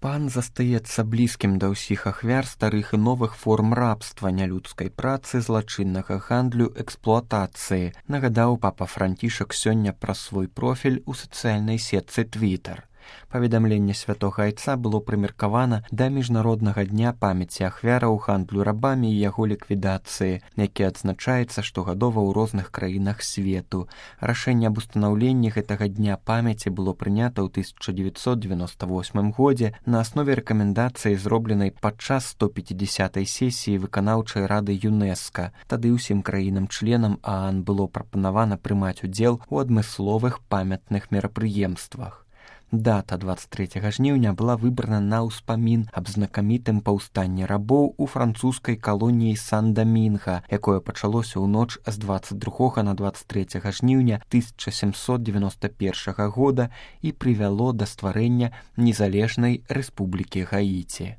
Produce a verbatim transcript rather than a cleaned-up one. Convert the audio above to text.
Пан застаецца блізкім да ўсіх ахвяр старых і новых форм рабства, нялюдскай працы, злачыннага гандлю, эксплуатацыі, нагадаў папа Францішак сёння праз свой профіль у сацыяльнай сетцы Твітар. Паведамленне святога айца было прымеркавана да міжнароднага дня памяці ахвяраў гандлю рабамі і яго ліквідацыі, які адзначаецца штогадова ў розных краінах свету. Рашэнне аб устанаўленні гэтага дня памяці было прынята ў тысяча дзевяцьсот дзевяноста восьмым годзе на аснове рэкамендацыі, зробленай падчас сто пяцідзясятай сесіі выканаўчай рады ЮНЕСКА. Тады ўсім краінам-членам ААН было прапанавана прымаць удзел у адмысловых памятных мерапрыемствах. Дата двадцать трэцяга жніўня была выбрана на ўспамін аб знакамітым паўстанні рабоў у французскай калоніі Сан-Дамінга, якое пачалося ў ноч з двадцать другога на двадцать трэцяга жніўня тысяча сямсот дзевяноста першага года і прывяло да стварэння незалежнай рэспублікі Гаіці.